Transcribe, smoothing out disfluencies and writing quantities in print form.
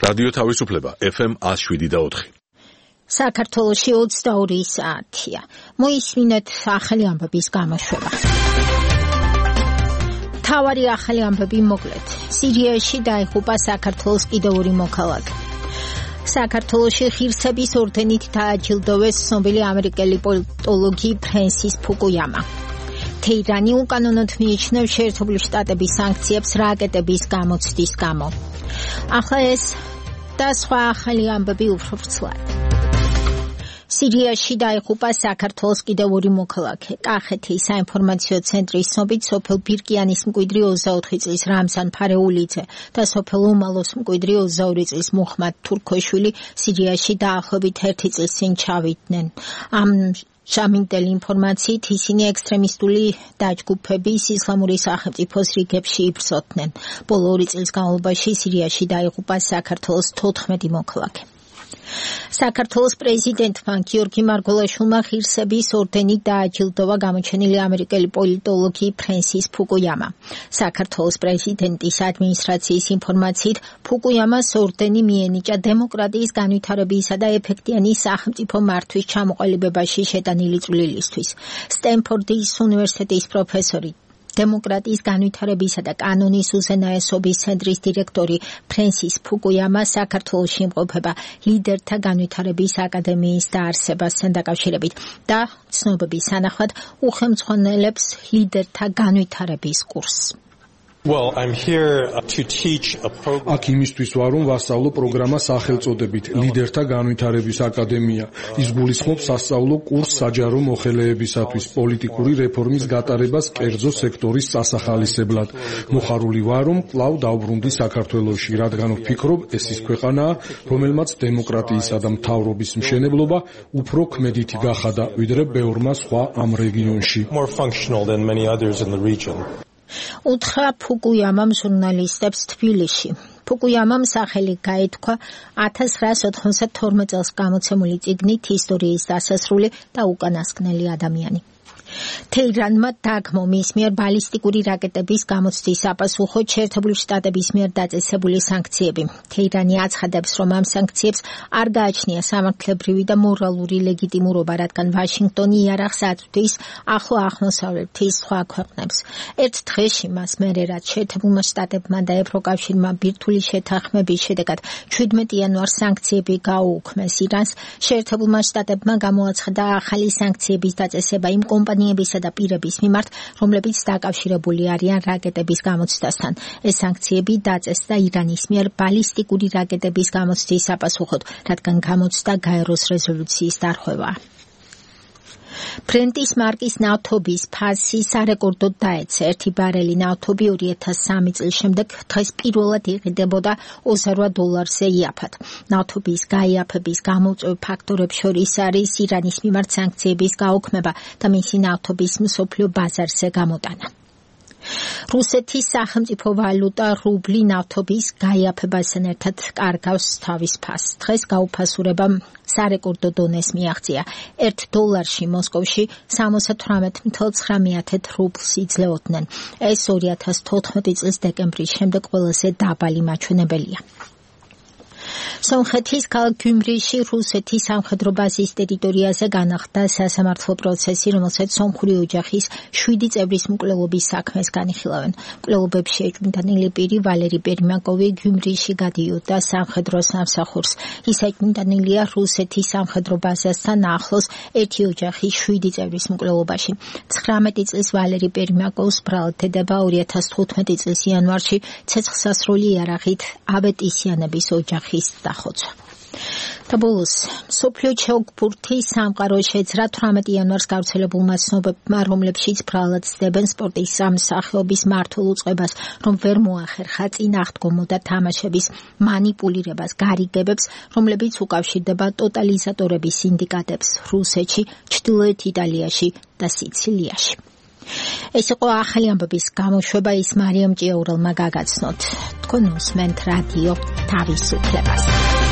რადიო თავისუფლება FM 107.4. საქართველოში 22 საათია. მოისმინეთ ახალი ამბების გამოშვება. თავარი ახალი ამბები მოკლედ. სირიაში დაიღუპა საქართველოს კიდევ ორი მოქალაქე. საქართველოში ღირსების ორდენით დააჯილდოვეს ცნობილი ამერიკელი პოლიტოლოგი ფრენსის ფუკუიამა. თეირანი უკანონოდ მიიჩნევს შეერთებული შტატების სანქციებს რაკეტების გამოცდის გამო. ახლა ეს და სხვა ახალი ამბები უფრო ვრცლად. სირიაში დაიღუპა საქართველოს კიდევ ორი მოქალაქე. კახეთის საინფორმაციო ცენტრის ცნობით სოფელ ბირკიანის მკვიდრი 24 წლის რამზან ფარეულიძე და სოფელ უმალოს მკვიდრი 22 წლის მუხმად თურქოშვილი სირიაში დაახლოებით 1 წლის წინ ჩავიდნენ. ამ შამინტელი ინფორმაციით ისინი ექსტრემისტული დაჯგუფების ისლამური სახელმწიფოს რიგებში იბრძოდნენ. ბოლო 2 წლის განმავლობაში სირიაში დაიღუპა საქართველოს 14 მოქალაქე. საქართველოს პრეზიდენტმა გიორგი მარგველაშვილმა ღირსების ორდენით დააჯილდოვა გამოჩენილი ამერიკელი პოლიტოლოგი ფრენსის ფუკუიამა. საქართველოს პრეზიდენტის ადმინისტრაციის ინფორმაციით ფუკუიამას ორდენი მიენიჭა დემოკრატიის განვითარებისა და ეფექტიანი სახელმწიფო მართვის ჩამოყალიბებაში შეტანილი წვლილისთვის. სტენფორდის უნივერსიტეტის პროფესორი დემოკრატიის განვითარებისა და კანონის უზენაესობის ცენტრის დირექტორი ფრენსის ფუკუიამა საქართველოში იმყოფება ლიდერთა განვითარების აკადემიის დაარსებასთან დაკავშირებით და ცნობების თანახმად უხელმძღვანელებს ლიდერთა განვითარების კურსს. Well, I'm here to teach a program. აქ იმისთვის ვარ, რომ ვასწავლო პროგრამა სახელწოდებით ლიდერთა განვითარების აკადემია. ის გულისხმობს სასწავლო კურსს საჯარო მოხელეებისათვის პოლიტიკური რეფორმის გატარებას კერძო სექტორის წასახალისებლად. მოხარული ვარ, რომ კვლავ დავბრუნდი საქართველოში, რადგან ვფიქრობ, ეს ის ქვეყანაა, რომელმაც დემოკრატიისა და მთავრობის მშენებლობა უფრო ქმედითი გახადა, ვიდრე ბევრმა სხვა ამ რეგიონში. More functional than many others in the region. უთხრა ფუკუიამამ ჟურნალისტებს თბილისში. ფუკუიამამ სახელი გაითქვა 1992 წელს გამოცემული წიგნით ისტორიის დასასრული და უკანასკნელი ადამიანი. თეირანმა დაგმო მის მიერ ბალისტიკური რაკეტების გამოცდის საპასუხოდ შეერთებული შტატების მიერ დაწესებული სანქციები. თეირანი აცხადებს, რომ ამ სანქციებს არ გააჩნია სამართლებრივი და მორალური ლეგიტიმურობა, რადგან ვაშინგტონი იარაღს აწვდის ახლო აღმოსავლეთის სხვა ქვეყნებს. ერთ დღეში მას მერე რაც შეერთებულმა შტატებმა და ევროკავშირმა ბირთვული შეთანხმების შედეგად 17 იანვარს სანქციები გაუუქმეს ირანს, შეერთებულმა შტატებმა გამოაცხადა ახალი სანქციების დაწესება იმ კომპანიებისა და პირების მიმართ, რომლებიც დაკავშირებული არიან რაკეტების გამოცდასთან. ეს სანქციები დაწესდა ირანის მიერ ბალისტიკური რაკეტების გამოცდის საპასუხოდ, რადგან გამოცდა გაეროს რეზოლუციის დარღვევაა. ბრენტის მარკის ნავთობის ფასი სარეკორდოდ დაეცა. 1 ბარელი ნავთობი 2003 წლის შემდეგ დღეს პირველად იყიდებოდა $28-ზე იაფად. ნავთობის გაიაფების გამომწვევ ფაქტორებს შორის არის ირანის მიმართ სანქციების გაუქმება და მისი ნავთობის მსოფლიო ბაზარზე გამოტანა. რუსეთის სახელმწიფო ვალუტა რუბლი ნავთობის გაიაფებასთან ერთად კარგავს თავის ფასს. დღეს გაუფასურებამ სარეკორდო დონეს მიაღწია. $1 მოსკოვში 78.9 რუბლს იძლეოდნენ. ეს 2014 წლის დეკემბრის შემდეგ ყველაზე დაბალი მაჩვენებელია. სომხეთის ქალაქ გიუმრიში რუსეთის სამხედრო ბაზის ტერიტორიაზე განახლდა სასამართლო პროცესი, რომელსაც სომხური ოჯახის 7 წევრის მკვლელობის საქმეს განიხილავენ. მკვლელობებში ეჭვმიტანილი პირი ვალერი პერიმაკოვი გიუმრიში გადიოდა სამხედრო სამსახურს. ის ეჭვმიტანილია რუსეთის სამხედრო ბაზასთან ახლოს ერთი ოჯახის 7 წევრის მკვლელობაში. 19 წლის ვალერი პერიმაკოვს ბრალდება 2015 წლის იანვარში ცეცხლსასროლი იარაღით ავეტისიანების ოჯახის დახოცვა. და ბოლოს, მსოფლიო ჩოგბურთის სამყარო შეძრა 18 იანვარს გავრცელებულმა ცნობებმა, რომლებშიც ბრალად ცდებენ სპორტის სამსახიობის მართულ უწყებას, რომ ვერ მოახერხა წინააღდგომოდა თამაშების მანიპულირებას, გარიგებებს, რომლებიც უკავშირდება ტოტალიზატორების სინდიკატებს რუსეთში, ჩრდილოეთ იტალიაში და სიცილიაში. ეს იყო ახალი ამბების გამოშვება, ის მარიამ ჭიაურელმა გაგაცნოთ. თქვენ უსმენთ რადიო თავისუფლებას.